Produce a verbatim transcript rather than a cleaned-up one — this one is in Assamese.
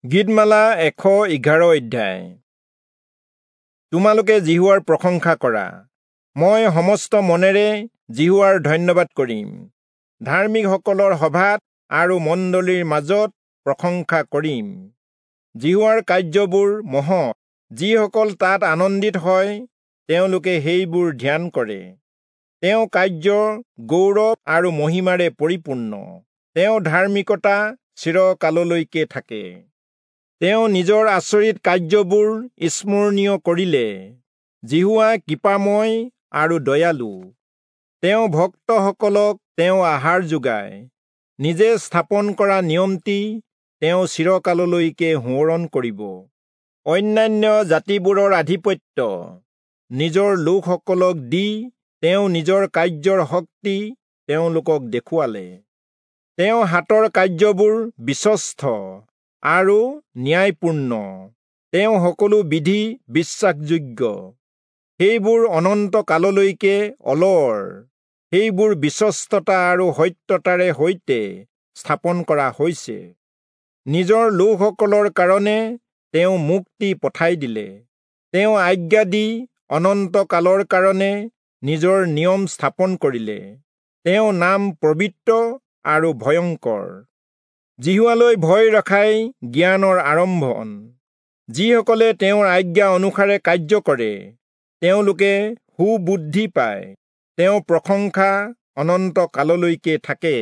গীতমালা এশ এঘাৰ অধ্যায়। তোমালোকে যিহোৱাৰ প্ৰশংসা কৰা। মই সমস্ত মনেৰে যিহোৱাৰ ধন্যবাদ কৰিম। ধাৰ্মিকসকলৰ সভাত আৰু মণ্ডলীৰ মাজত প্ৰশংসা কৰিম। যিহোৱাৰ কাৰ্যবোৰ মহৎ, যিসকল তাত আনন্দিত হয় তেওঁলোকে সেইবোৰ ধ্যান কৰে। তেওঁ কাৰ্য গৌৰৱ আৰু মহিমাৰে পৰিপূৰ্ণ। তেওঁ ধাৰ্মিকতা চিৰকাললৈকে থাকে। তেওঁ নিজৰ আচৰিত কাৰ্যবোৰ স্মৰণীয় কৰিলে। যিহোৱা কৃপাময় আৰু দয়ালু। তেওঁ ভক্তসকলক তেওঁ আহাৰ যোগায়। নিজে স্থাপন কৰা নিয়মটি তেওঁ চিৰকাললৈকে সোঁৱৰণ কৰিব। অন্যান্য জাতিবোৰৰ আধিপত্য নিজৰ লোকসকলক দি তেওঁ নিজৰ কাৰ্যৰ শক্তি তেওঁলোকক দেখুৱালে। তেওঁ হাতৰ কাৰ্যবোৰ বিশ্বস্ত আৰু ন্যায়পূৰ্ণ। তেওঁ সকলো বিধি বিশ্বাসযোগ্য। সেইবোৰ অনন্ত কাললৈকে অলৰ। সেইবোৰ বিশ্বস্ততা আৰু সত্যতাৰে সৈতে স্থাপন কৰা হৈছে। নিজৰ লোকসকলৰ কাৰণে তেওঁ মুক্তি পঠাই দিলে। তেওঁ আজ্ঞা দি অনন্ত কালৰ কাৰণে নিজৰ নিয়ম স্থাপন কৰিলে। তেওঁ নাম পবিত্ৰ আৰু ভয়ংকৰ। যিহোৱালৈ ভয় ৰখাই জ্ঞানৰ আৰম্ভণ। যিসকলে তেওঁৰ আজ্ঞা অনুসাৰে কাৰ্য কৰে তেওঁলোকে সুবুদ্ধি পায়। তেওঁ প্ৰশংসা অনন্ত কাললৈকে থাকে।